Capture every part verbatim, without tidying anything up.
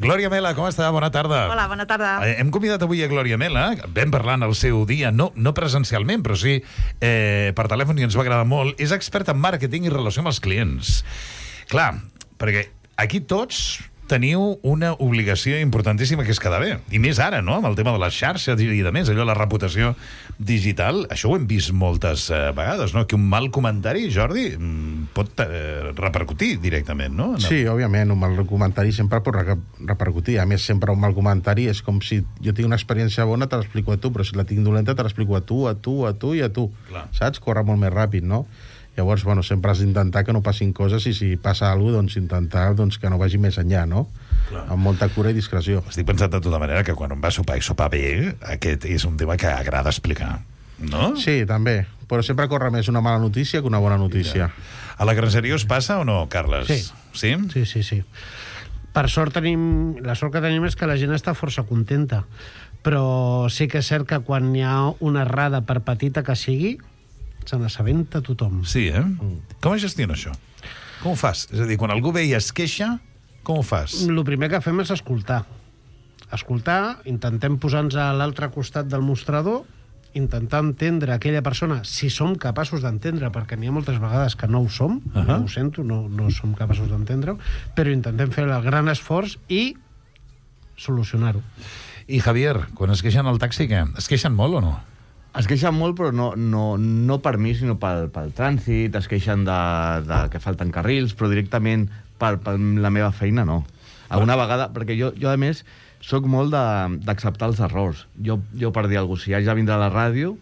Glòria Mela, com està? Bona tarda. Hola, bona tarda. Hem convidat avui a Glòria Mela, vam parlar en el seu dia, no, no presencialment, però sí eh, per telèfon, i ens va agradar molt. És experta en màrqueting i relació amb els clients. Clar, perquè aquí tots teniu una obligació importantíssima, que és quedar bé. I més ara, no?, amb el tema de les xarxes i de més, allò, la reputació digital. Això ho hem vist moltes eh, vegades, no?, que un mal comentari, Jordi, pot eh, repercutir directament, no? Sí, òbviament, un mal comentari sempre pot re repercutir. A més, sempre un mal comentari és com si jo tinc una experiència bona, te l'explico a tu, però si la tinc dolenta, te l'explico a tu, a tu, a tu i a tu. Clar. Saps? Corre molt més ràpid, no? Llavors, bueno, sempre has d'intentar que no passin coses, i si passa alguna cosa, doncs intentar doncs, que no vagi més enllà, no? Clar. Amb molta cura i discreció. Estic pensant de tota manera que quan un va a sopar i sopar bé, aquest és un tema que agrada explicar, no? Sí, també. Però sempre corre més una mala notícia que una bona notícia. Ja. A la Grangeria us passa o no, Carles? Sí. Sí? Sí, sí, sí. Per sort tenim... La sort que tenim és que la gent està força contenta. Però sí que és cert que quan hi ha una errada, per petita que sigui, se n'assabenta tothom. Sí, eh? Mm. Com es gestiona això? Com ho fas? És a dir, quan algú ve i es queixa, com ho fas? El primer que fem és escoltar. Escoltar, intentem posar-nos a l'altre costat del mostrador, intentar entendre aquella persona, si som capaços d'entendre, perquè n'hi ha moltes vegades que no ho som, uh -huh. no ho sento, no, no som capaços d'entendre-ho, però intentem fer el gran esforç i solucionar-ho. I Javier, quan es queixen al taxi, què? Es queixen molt o no? Es queixen molt, però no, no, no per mi, sinó pel, pel trànsit, es queixen de, de que falten carrils, però directament per, per la meva feina no. Alguna vegada, perquè jo, jo a més, sóc molt d'acceptar els errors. Jo, jo per dir alguna cosa, si haig de vindre a la ràdio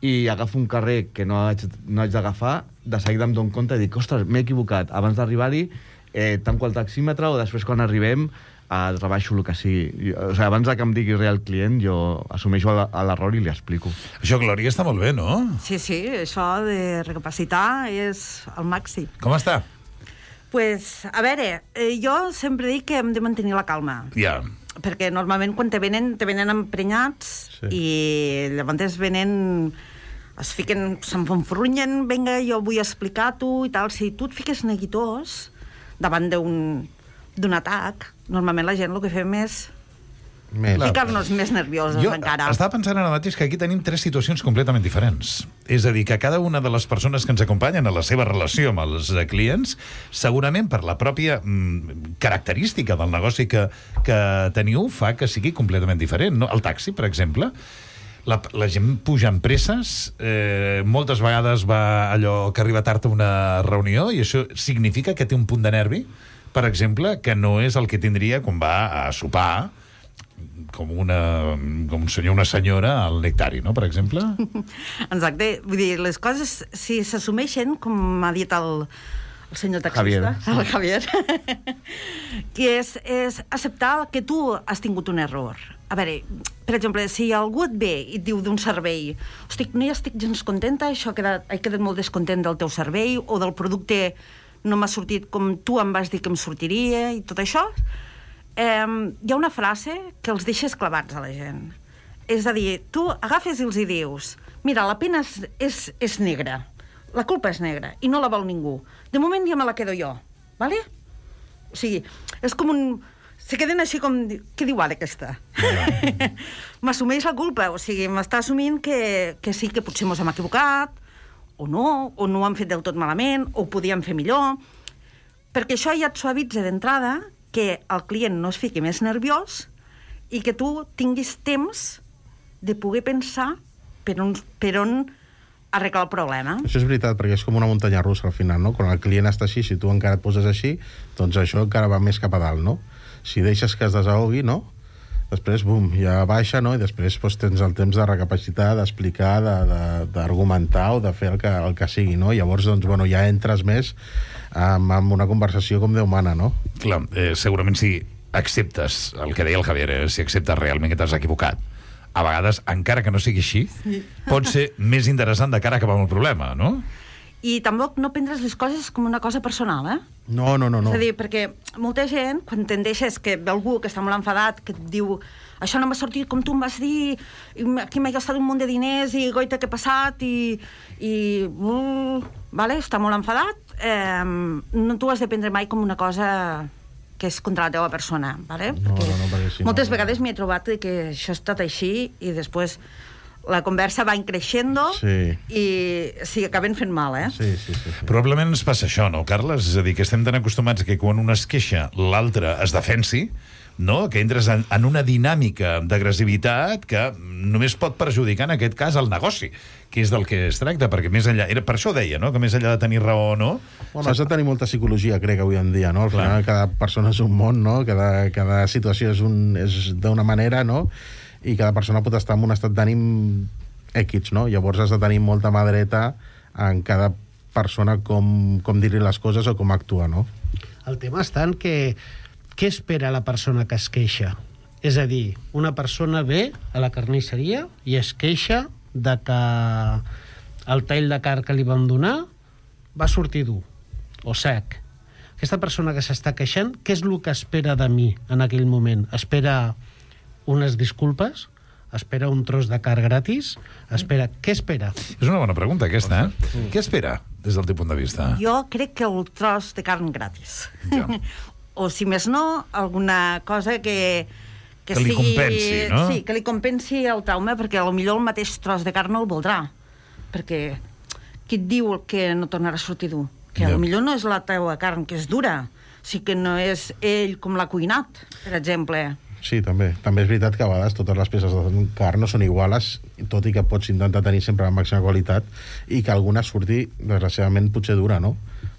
i agafo un carrer que no haig, no haig d'agafar, de seguida em dono compte i dic, ostres, m'he equivocat. Abans d'arribar-hi, eh, tanco el taxímetre, o després quan arribem Uh, rebaixo el que sigui. O sigui, abans que em digui res el client, jo assumeixo l'error i li explico. Això, Glòria, està molt bé, no? Sí, sí, això de recapacitar és el màxim. Com està? Pues, a veure, eh, jo sempre dic que hem de mantenir la calma. Ja. Perquè normalment quan te venen, te venen emprenyats, sí. I llavors venen... es fiquen, s'enfonfrunyen, vinga, jo vull explicar-t'ho i tal. Si tu et fiques neguitós davant d'un d'un atac, normalment la gent el que fem és Més. ficar-nos més nerviosos Jo encara. estava pensant ara mateix que aquí tenim tres situacions completament diferents. És a dir, que cada una de les persones que ens acompanyen a la seva relació amb els clients, segurament per la pròpia mm, característica del negoci que, que teniu, fa que sigui completament diferent. No? El taxi, per exemple, la, la gent puja amb presses, eh, moltes vegades va allò que arriba tard a una reunió, i això significa que té un punt de nervi, per exemple, que no és el que tindria quan va a sopar com, una, com un senyor o una senyora al Nectari, no?, per exemple? Exacte. Vull dir, les coses, si s'assumeixen, com m'ha dit el, el senyor taxista, Javier. el Javier, que és, és acceptar que tu has tingut un error. A veure, per exemple, si algú et ve i et diu d'un servei, hosti, no hi estic gens contenta, això ha quedat, he quedat molt descontent del teu servei, o del producte no m'ha sortit com tu em vas dir que em sortiria, i tot això, eh, hi ha una frase que els deixes clavats a la gent. És a dir, tu agafes i els hi dius, mira, la pena és, és, és negra, la culpa és negra, i no la vol ningú. De moment ja me la quedo jo, ¿vale? O sigui, és com un... Se queden així com... Què diu ara aquesta? Yeah. M'assumeix la culpa, o sigui, m'està assumint que, que sí, que potser mos hem equivocat, o no, o no ho han fet del tot malament, o ho podíem fer millor, perquè això ja et suavitza d'entrada que el client no es fiqui més nerviós i que tu tinguis temps de poder pensar per on, per on arreglar el problema. Això és veritat, perquè és com una muntanya russa al final, no? Quan el client està així, si tu encara et poses així, doncs això encara va més cap a dalt, no? Si deixes que es desahogui, no? Després, bum, ja baixa, no? I després doncs, tens el temps de recapacitar, d'explicar, d'argumentar o de fer el que, el que sigui, no? Llavors, doncs, bueno, ja entres més amb, amb una conversació com Déu mana, no? Clar, eh, segurament si acceptes el que deia el Javier, eh, si acceptes realment que t'has equivocat, a vegades, encara que no sigui així, sí. pot ser més interessant de cara a acabar amb el problema, no? I tampoc no prendres les coses com una cosa personal, eh? No, no, no, no. És a dir, perquè molta gent, quan t'endeixes que ve algú que està molt enfadat, que et diu això no m'ha sortit com tu em vas dir, i aquí m'he gastat un munt de diners, i goita, què ha passat, i... i uh, vale, està molt enfadat, eh, no t'ho has de prendre mai com una cosa que és contra la teva persona, ¿vale? No, perquè no, no, perquè si no- moltes vegades m'he trobat que això ha estat així i després la conversa va increixendo Sí. i sí, acaben fent mal, eh? Sí, sí, sí. sí. Probablement ens passa això, no, Carles? És a dir, que estem tan acostumats que quan un es queixa, l'altre es defensi, no? Que entres en, en una dinàmica d'agressivitat que només pot perjudicar, en aquest cas, el negoci, que és del que es tracta, perquè més enllà... Era, per això deia, no?, que més enllà de tenir raó o no... Bueno, has de tenir molta psicologia, crec, avui en dia, no? Al final, Clar. cada persona és un món, no? Cada, cada situació és, un, és d'una manera, no? I cada persona pot estar en un estat d'ànim X, no? Llavors has de tenir molta mà dreta en cada persona com, com dir-li les coses o com actuar, no? El tema està en que què espera la persona que es queixa? És a dir, una persona ve a la carnisseria i es queixa de que el tall de carn que li vam donar va sortir dur o sec. Aquesta persona que s'està queixant, què és el que espera de mi en aquell moment? Espera unes disculpes? Espera un tros de carn gratis? Espera... Què espera? És una bona pregunta, aquesta, eh? Què espera, des del teu punt de vista? Jo crec que el tros de carn gratis. Ja. O, si més no, alguna cosa que... Que li sigui- compensi, no? Sí, que li compensi el trauma, perquè potser el mateix tros de carn no el voldrà. Perquè qui et diu que no tornarà a sortir dur? Que Ja. potser no és la teua carn, que és dura, sí que no és ell com l'ha cuinat, per exemple. Sí, també. També és veritat que a vegades totes les peces de carn no són iguales, tot i que pots intentar tenir sempre la màxima qualitat i que alguna surti, desgraciadament, potser dura, no?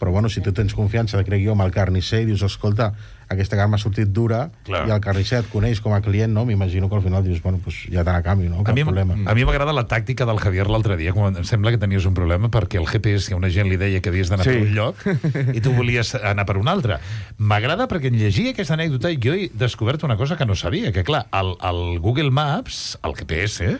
Però, bueno, si tu tens confiança, crec jo, amb el carnisser i dius, escolta, aquesta carn m'ha sortit dura, Clar. i el carnisser et coneix com a client, no? M'imagino que al final dius, bueno, pues ja te la canvio, no? A Cap mi, problema. a mi m'agrada la tàctica del Javier l'altre dia, quan em sembla que tenies un problema perquè el G P S, que una gent li deia que havies d'anar Sí. per un lloc i tu volies anar per un altre. M'agrada perquè en llegir aquesta anècdota jo he descobert una cosa que no sabia, que clar, el, el Google Maps, el G P S,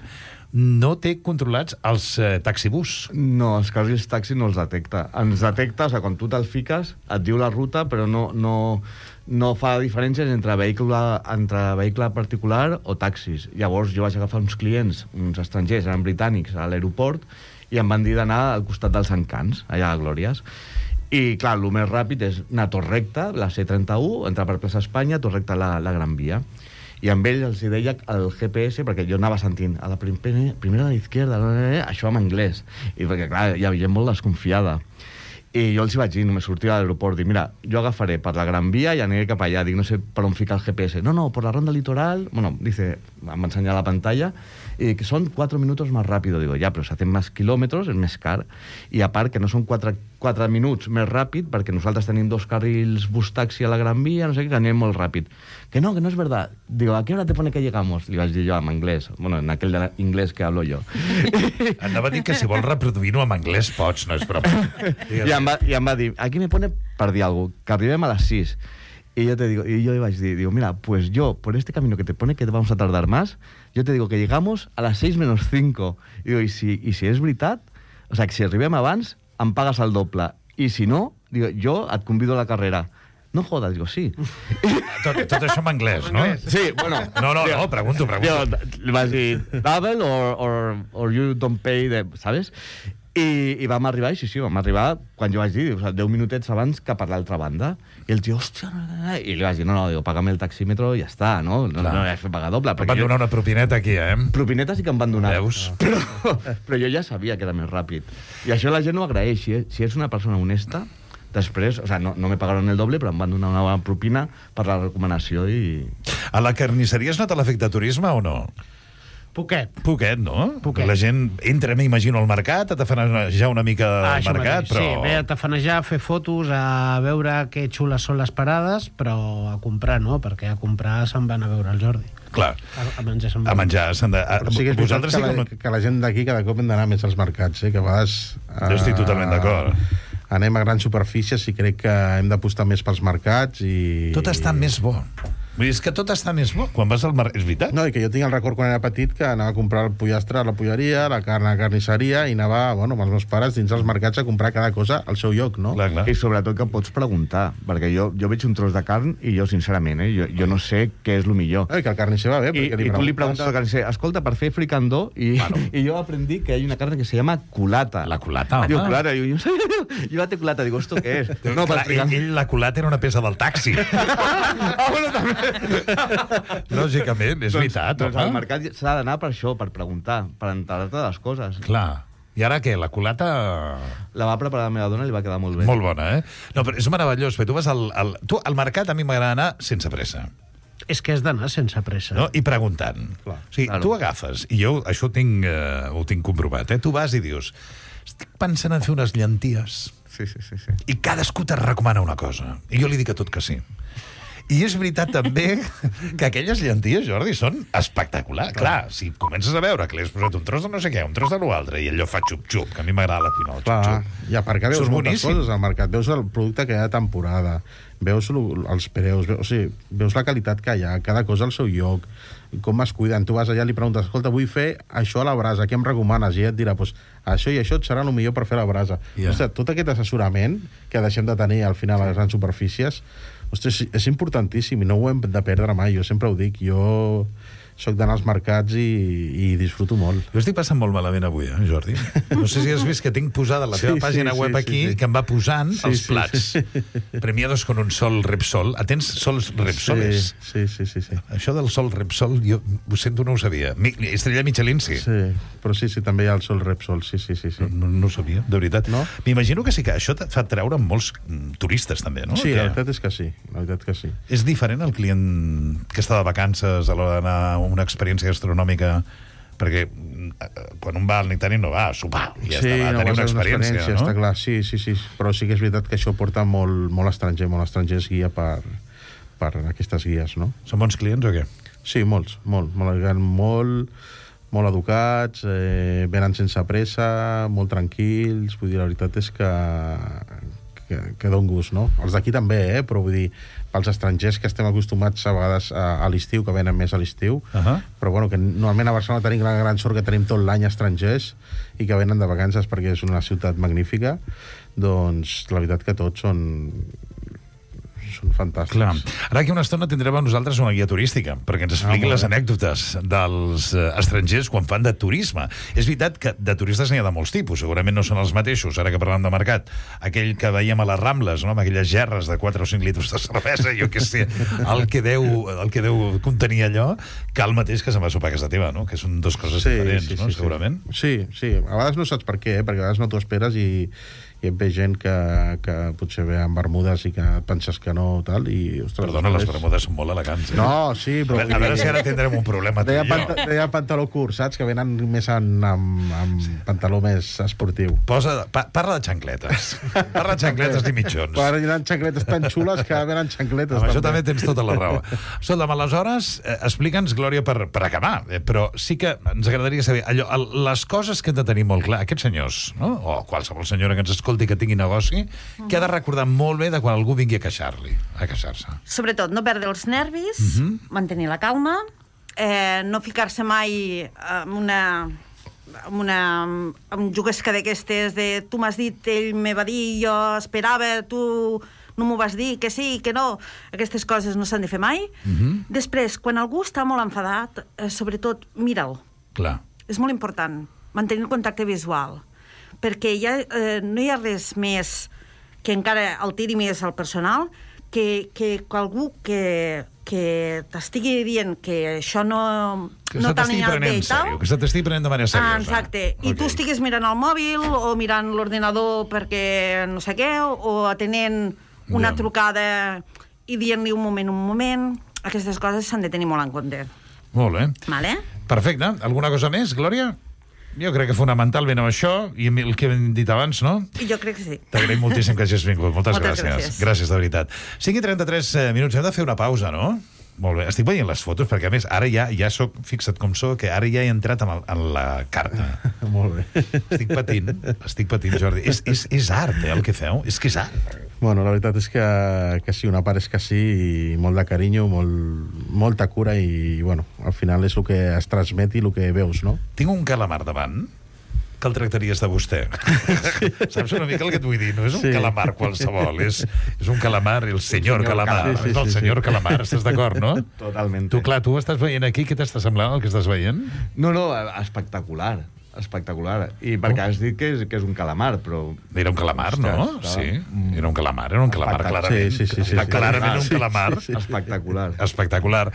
no té controlats els eh, taxibús. No, els carrils taxi no els detecta. Ens detecta, o sigui, quan tu te'l fiques, et diu la ruta, però no, no, no fa diferències entre vehicle, entre vehicle particular o taxis. Llavors jo vaig agafar uns clients, uns estrangers, eren britànics, a l'aeroport, i em van dir d'anar al costat dels Encants, allà a Glòries. I, clar, el més ràpid és anar tot recte, la C trenta-u, entrar per plaça Espanya, tot recte a la, la Gran Via. I amb ell els hi deia el G P S, perquè jo anava sentint a la primera, primera a la izquierda, això en anglès. I perquè, clar, hi havia molt desconfiada. I jo els hi vaig dir, només sortia de l'aeroport, dic, mira, jo agafaré per la Gran Via i aniré cap allà, dic, no sé per on ficar el G P S. No, no, per la ronda litoral, bueno, dice, em va ensenyar la pantalla, i que són cuatro minutos más rápido. Digo, ja, però si hacen més quilòmetres és més car. I a part que no són quatre, quatre minuts més ràpid, perquè nosaltres tenim dos carrils bus-taxi a la Gran Via, no sé què, que anem molt ràpid. Que no, que no és verdad. Digo, ¿a qué hora te pone que llegamos? Li vaig dir jo en anglès. Bueno, en aquell de inglés que hablo jo. Anava a dir que si vols reproduir-ho en anglès pots, no és broma. I em, va, I em va dir, aquí me pone, per dir alguna cosa, que arribem a les sis. Y yo te digo, y yo le vaig dir, digo, mira, pues yo, por este camino que te pone que vamos a tardar más, yo te digo que llegamos a las seis menos cinco. Y digo, y si, y si és veritat, o sea, que si arribem abans, em pagues el doble. I si no, digo, jo et convido a la carrera. No jodas, digo, sí. Tot, tot això en anglès, no? Sí, bueno. No, no, no, pregunto, pregunto. Jo, li vaig dir, double or, or, or you don't pay, the, ¿sabes? I, I vam arribar, i sí, sí, vam arribar quan jo vaig dir, o sigui, deu minutets abans que per l'altra banda. I el tio, hòstia, no, no, no. I li vaig dir, no, no, digo, paga'm el taxímetro i ja està, no? No, no, no he fet pagar doble. Em van donar una propineta aquí, eh? Propineta sí que em van donar. Veus? Però, però jo ja sabia que era més ràpid. I això la gent ho agraeix. Si, si és una persona honesta, després, o sigui, no, no me pagaron el doble, però em van donar una bona propina per la recomanació i... A la carnisseria es nota l'efecte turisme o no? Poquet. Poquet, no? Poquet. La gent entra, m'imagino, al mercat, a tafanejar una mica Ah, al això mercat, mateix. però... Sí, ve a tafanejar, a fer fotos, a veure que xules són les parades, però a comprar no, perquè a comprar se'n van a veure el Jordi. Clar, A, a menjar se'n a van. menjar s'han de... A, Però sí que és veritat vosaltres que, sí que... la, no- que la gent d'aquí cada cop hem d'anar més als mercats, eh? Que a vegades... Jo estic totalment d'acord. Anem a grans superfícies i crec que hem d'apostar més pels mercats i... Tot està més bo. Vull dir, és que tot està més bo quan vas al mercat. És veritat. No, i que jo tinc el record quan era petit que anava a comprar el pollastre a la polleria, la carn a la carnisseria, i anava, bueno, amb els meus pares dins els mercats a comprar cada cosa al seu lloc, no? Clar, clar. I sobretot que pots preguntar, perquè jo, jo veig un tros de carn i jo, sincerament, eh, jo, jo no sé què és el millor. No, i que el carnisser va bé, I, perquè li i tu li preguntes. preguntes al carnisser, escolta, per fer fricandó, i, Bueno. i jo aprendí que hi ha una carn que se llama culata. La culata, Diu, home. culata, diu, jo no sabia, jo la té culata, dic, esto què és? No, clar, ell, fricandó. ell, la culata era una peça del taxi. Ah, bueno, també. Lògicament, és veritat, doncs, doncs al home. mercat s'ha d'anar per això, per preguntar, per enterar-te de les coses. Clar. I ara què? La culata... La va preparar la meva dona i li va quedar molt bé. Molt bona, eh? No, però és meravellós, perquè tu vas al... al tu, al mercat a mi m'agrada anar sense pressa. És que has d'anar sense pressa. No? I preguntant. Clar, O sigui, claro. tu agafes, i jo això ho tinc, eh, ho tinc comprovat, eh? Tu vas i dius, estic pensant en fer unes llenties, Sí, sí, sí, sí. i cadascú te recomana una cosa. I jo li dic a tot que sí. I és veritat també que aquelles llenties, Jordi, són espectaculars. Clar, si comences a veure que li has posat un tros de no sé què, un tros de l'altre, i allò fa xup-xup, que a mi m'agrada la cuina, el Clar, xup-xup. i a part que veus Això és moltes boníssim. coses al mercat. Veus el producte que hi ha de temporada, veus lo- els preus, veus, o sigui, veus la qualitat que hi ha, cada cosa al seu lloc, com es cuiden. Tu vas allà i li preguntes, escolta, vull fer això a la brasa, què em recomanes? I ell et dirà, pues, això i això et serà el millor per fer a la brasa. Ja. Ostres, tot aquest assessorament que deixem de tenir al final a les grans superfícies, ostres, és importantíssim i no ho hem de perdre mai. Jo sempre ho dic, jo soc d'anar als mercats i, i disfruto molt. Jo estic passant molt malament avui, eh, Jordi? No sé si has vist que tinc posada la teva Sí, pàgina sí, web sí, aquí, sí, sí. que em va posant Sí, els sí, plats. sí. Premiados con un sol Repsol. Atens sols Repsoles? Sí, sí, sí, sí. Això del sol Repsol, jo ho sento, no ho sabia. Mi, Estrella Michelin, sí. Sí, però sí, sí, també hi ha el sol Repsol, sí, sí, sí. sí. No, no ho sabia, de veritat. No? M'imagino que sí que això et fa treure molts mm, turistes, també, no? Sí, Que la veritat és que sí, la veritat que sí. és diferent el client que està de vacances a l'hora d'anar a una experiència gastronòmica, perquè mm, quan un va al Nectari no va a sopar, i ja sí, està, va a no, tenir va una ser experiència, no? està clar, sí, sí, sí, però sí que és veritat que això porta molt, molt estranger, molt estranger es guia per, per aquestes guies, no? Són bons clients o què? Sí, molts, molt, molt, molt, molt educats, eh, venen sense pressa, molt tranquils, vull dir, la veritat és que, que, que don gust, no? Els d'aquí també, eh? Però vull dir, pels estrangers que estem acostumats a vegades a, a l'estiu, que venen més a l'estiu, Ahà. però bueno, que normalment a Barcelona tenim la gran sort que tenim tot l'any estrangers i que venen de vacances perquè és una ciutat magnífica, doncs la veritat que tots són són fantàstics. Clar. Ara aquí una estona tindrem a nosaltres una guia turística, perquè ens expliqui Ah, molt les bé. anècdotes dels eh, estrangers quan fan de turisme. És veritat que de turistes n'hi ha de molts tipus, segurament no són els mateixos, ara que parlem de mercat. Aquell que veiem a les Rambles, no? Amb aquelles gerres de quatre o cinc litres de cervesa, jo què sé, el que deu, el que deu contenir allò, que el mateix que se'n va a sopar a casa teva, no? Que són dues coses diferents, no? Segurament. Sí, sí. A vegades no saps per què, eh? Perquè a vegades no t'ho esperes i, i et ve gent que, que potser ve amb bermudes i que et penses que no, tal, i... Ostres, Perdona, les després- bermudes són molt elegants, eh? No, sí, A però... veure, a veure si ara tindrem un problema tu Deia, i jo. panta, deia pantaló curt, saps? Que venen més en, amb, amb pantaló més esportiu. Posa, pa, parla de xancletes. Parla de xancletes i mitjons. Però hi ha xancletes tan xules que venen xancletes. Amb això també tens tota la raó. Escolta'm, aleshores, eh, explica'ns, Glòria, per, per acabar, eh, però sí que ens agradaria saber allò, el, les coses que hem de tenir molt clar, aquests senyors, no? O qualsevol senyora que ens escolti que tingui negoci, que ha de recordar molt bé de quan algú vingui a queixar-li, a queixar-se. Sobretot, no perdre els nervis, uh -huh. mantenir la calma, eh, no ficar-se mai en una amb una amb juguesca d'aquestes de tu m'has dit, ell me va dir, jo esperava, tu no m'ho vas dir, que sí, que no. Aquestes coses no s'han de fer mai. Uh -huh. Després, quan algú està molt enfadat, eh, sobretot, mira'l. Clar. És molt important mantenir el contacte visual, perquè ja, eh, no hi ha res més que encara el tiri més al personal que, que algú que, que t'estigui dient que això no, Que no se t'ha t'estigui anyat prenent bé en i tal. sèrio, que se t'estigui prenent de manera seriosa. Ah, exacte. I Ok. tu estiguis mirant el mòbil o mirant l'ordinador perquè no sé què, o atenent una Ja. trucada i dient-li un moment, un moment. Aquestes coses s'han de tenir molt en compte. Molt bé. Vale? Perfecte. Alguna cosa més, Glòria? Jo crec que fonamentalment amb això, i el que hem dit abans, no? I jo crec que sí. T'agraïm moltíssim que hagis vingut. Moltes, Moltes gràcies. gràcies. Gràcies, de veritat. cinc i trenta-tres minuts. Hem de fer una pausa, no? Molt bé. Estic veient les fotos, perquè a més, ara ja ja soc, fixa't com sóc, que ara ja he entrat en, el, en la carta. Molt bé. Estic patint, estic patint, Jordi. És, és, és art, eh, el que feu? És que és art. Bueno, la veritat és que, que sí, una part és que sí, i molt de carinyo, molt, molta cura, i, bueno, al final és el que es transmet i el que veus, no? Tinc un calamar davant, que el tractaries de vostè. Saps una mica el que et vull dir? No és un Sí. calamar qualsevol, és, és un calamar, el senyor, senyor calamar. calamar. Sí, sí, és el sí, senyor sí. calamar, estàs d'acord, no? Totalment. Tu, clar, tu estàs veient aquí, què t'està semblant el que estàs veient? No, no, espectacular. Espectacular. I perquè has dit que és, que és un calamar, però... Era un calamar, no? Ostres, Sí, estava- era un calamar, era un calamar, Espectac- clarament. Sí, sí, sí, sí, sí. Clarament un Sí, calamar. Espectacular. Espectacular.